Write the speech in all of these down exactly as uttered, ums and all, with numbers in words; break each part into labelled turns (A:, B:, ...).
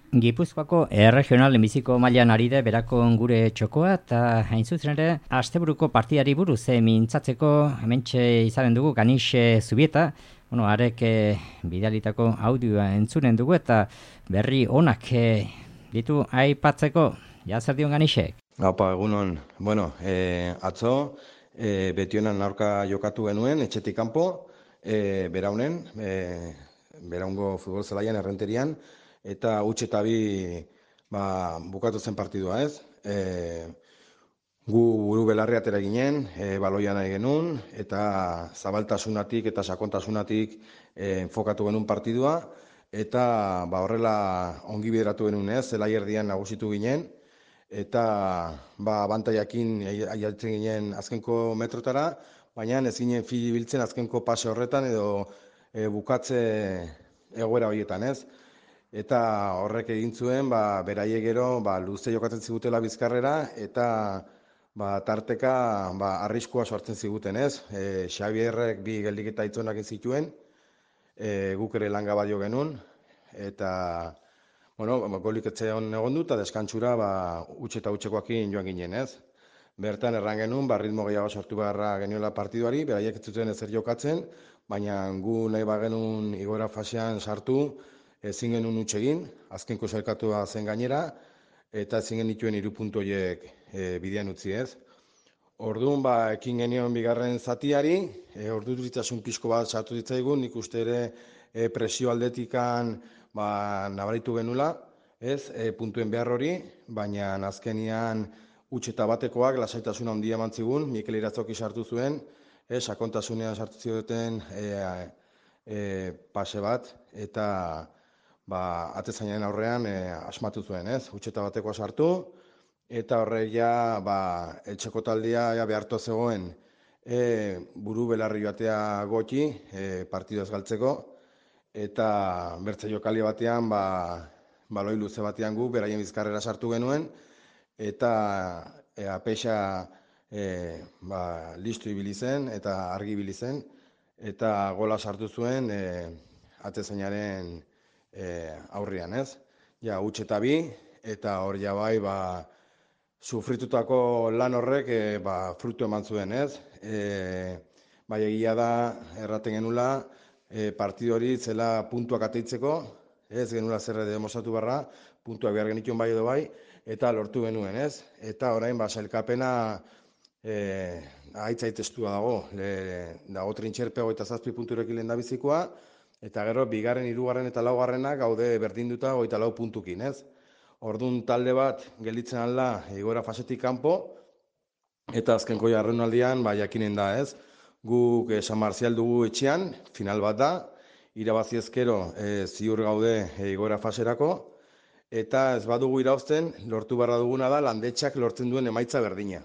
A: Gipuzkoako erregional biziko mailan ari da berako gure txokoa eta hain zuzen ere asteburuko partidari buruz e, mintzatzeko hementxe izanen dugu Ganixe Zubieta, bueno, arek e, bidalitako audioa entzunen dugu eta berri onak e, ditu aipatzeko. Ja zer dion Ganixek?
B: Apa, egunon. Bueno, e, atzo e, Betionan aurka jokatu genuen etxetik kanpo, e, beraunen, e, beraungo futbol zelaian errenterian, eta huts eta bi ba, bukatu zen partidua, ez? E, gu buru belarri atera ginen, e, baloia nahi genuen, eta zabaltasunatik eta sakontasunatik e, enfokatu genuen partidua, eta ba, horrela ongi bideratu genuen, ez? Zelai erdian nagusitu ginen, eta ba, abantaiakin aialtzen ginen azkenko metrotara, baina ez ginen fili biltzen azkenko pase horretan edo e, bukatze egoera horietan, ez? Eta horrek egin zuen, ba, beraiek gero ba, luze jokatzen zigutela bizkarrera, eta ba, tarteka ba, arriskua sortzen ziguten, ez? E, Xabierrek bi geldiketa itzonak zituen, e, guk ere langa badio genuen, eta bueno, golik etxean egon du, eta deskantzura ba, huts eta hutsekoakin joan ginen, ez? Bertan erran genuen, ba, ritmo gehiago sortu beharra geniola partiduari, beraiek ez zuten ezer jokatzen, baina gu nahi bagenuen igoera fasean sartu, ezin genuen huts egin, azkenko sailkatua zen gainera, eta ezin genituen hiru puntu horiek e, bidean utzi, ez. Orduan, ba, ekin genion bigarren zatiari, e, orduritasun pixko bat sartu ditzaigun, nik uste ere e, presio aldetikan ba, nabaritu genula, ez, e, puntuen behar hori, baina azkenian huts eta batekoak lasaitasuna handia eman zigun, Mikel Irazoki sartu zuen, e, sakontasunean sartu zioten e, e, pase bat, eta ba, atezainaren aurrean e, asmatu zuen, ez? Huts eta batekoa sartu, eta horrek ja, ba, etxeko taldea ja, behartu zegoen e, buru belarri joatea goti, e, partidu ez galtzeko, eta bertze jokali batean, ba, baloi luze batean gu, beraien bizkarrera sartu genuen, eta e, apeixa e, ba, listu ibili zen, eta argi ibili zen, eta gola sartu zuen e, atezainaren E, aurrian, ez? Ja, huts eta bi, eta hor ja bai, ba, sufritutako lan horrek e, ba, frutu eman zuen, ez? E, bai, egia da, erraten genula, e, partidu hori zela puntuak ateitzeko, ez genula zer demostratu barra, puntuak behar genituen bai edo bai, eta lortu genuen, ez? Eta orain, ba, sailkapena e, aitzaitestua dago, le, dago trintxerpe hogeita zazpi punturekin lehen da bizikoa, eta gero, bigarren, hirugarren eta laugarrenak gaude berdinduta hogeita lau puntukin, ez? Orduan talde bat gelditzen alda igoera fasetik kanpo, eta azkenko jarraunaldian ba, jakinen da, ez? Guk eh, San Marzial dugu etxean, final bat da, irabazi ezkero eh, ziur gaude eh, igoera faserako, eta ez badugu irauzten, lortu barra duguna da, landetxak lortzen duen emaitza berdina.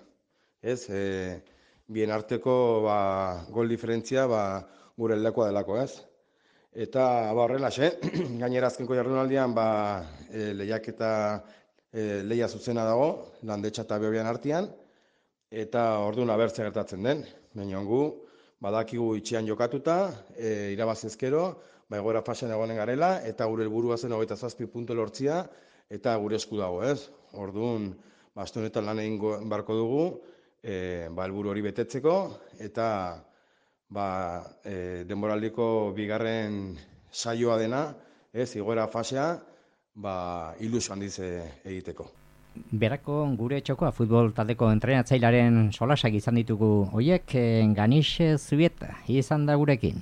B: Ez? E, bien arteko ba, gol diferentzia ba, gure eldakoa delako, ez? Eta ba, horrela, xe, gainera azkenko jardunaldian ba, e, lehiak eta e, lehia zuzena dago, landetxa eta behobian artean, eta orduan abertzea gertatzen den. Baina gu, badakigu itxean jokatuta, e, irabazizkero, ba, egoera fasean egonen garela, eta gure helburua zen hogeita zazpi puntu lortzia, eta gure esku dago, ez? Orduan, ba, aste honetan lan egin barko dugu, e, ba, helburu hori betetzeko, eta ba, e, denboraldiko bigarren saioa dena, ez, igoera fasea, ba, ilusio handiz egiteko.
A: Berako gure txokoa futbol taldeko entrenatzailearen solasak izan ditugu hoiek, Ganixe Zubieta izan da gurekin.